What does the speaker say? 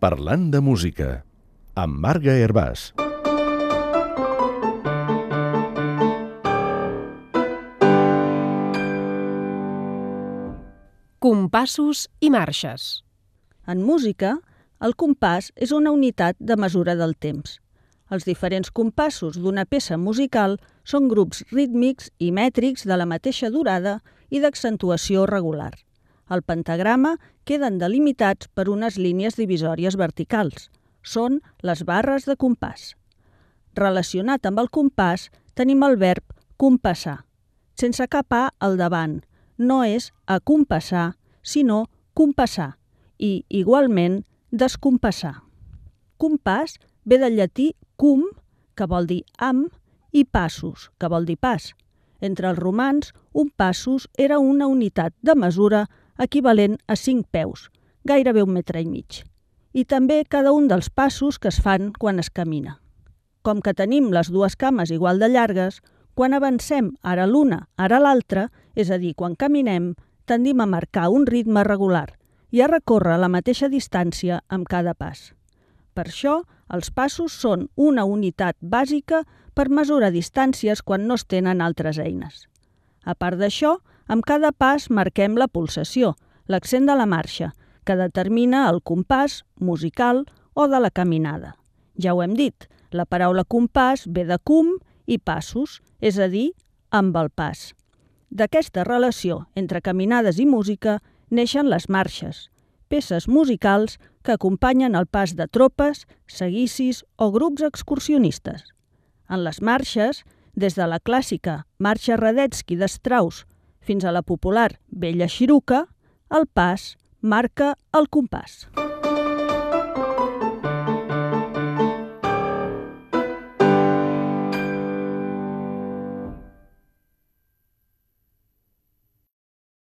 Parlant de música, amb Marga Hervàs. Compassos i marxes. En música, el compàs és una unitat de mesura del temps. Els diferents compassos d'una peça musical són grups rítmics i mètrics de la mateixa durada i d'accentuació regular. El pentagrama queden delimitats per unes línies divisòries verticals. Són les barres de compàs. Relacionat amb el compàs tenim el verb compassar, sense cap A al davant. No és acompassar, sinó compassar, i, igualment, descompassar. Compàs ve del llatí cum, que vol dir amb, i passus, que vol dir pas. Entre els romans, un passus era una unitat de mesura equivalent a 5 peus, gairebé 1,5 metres, i també cada un dels passos que es fan quan es camina. Com que tenim les dues cames igual de llargues, quan avancem ara l'una, ara l'altra, és a dir, quan caminem, tendim a marcar un ritme regular i a recórrer la mateixa distància amb cada pas. Per això, els passos són una unitat bàsica per mesurar distàncies quan no es tenen altres eines. A part d'això, amb cada pas marquem la pulsació, l'accent de la marxa, que determina el compàs musical o de la caminada. Ja ho hem dit, la paraula compàs ve de cum i passos, és a dir, amb el pas. D'aquesta relació entre caminades i música neixen les marxes, peces musicals que acompanyen el pas de tropes, seguicis o grups excursionistes. En les marxes, des de la clàssica Marxa Radetzky de Strauss fins a la popular Vella Xiruca, el pas marca el compàs.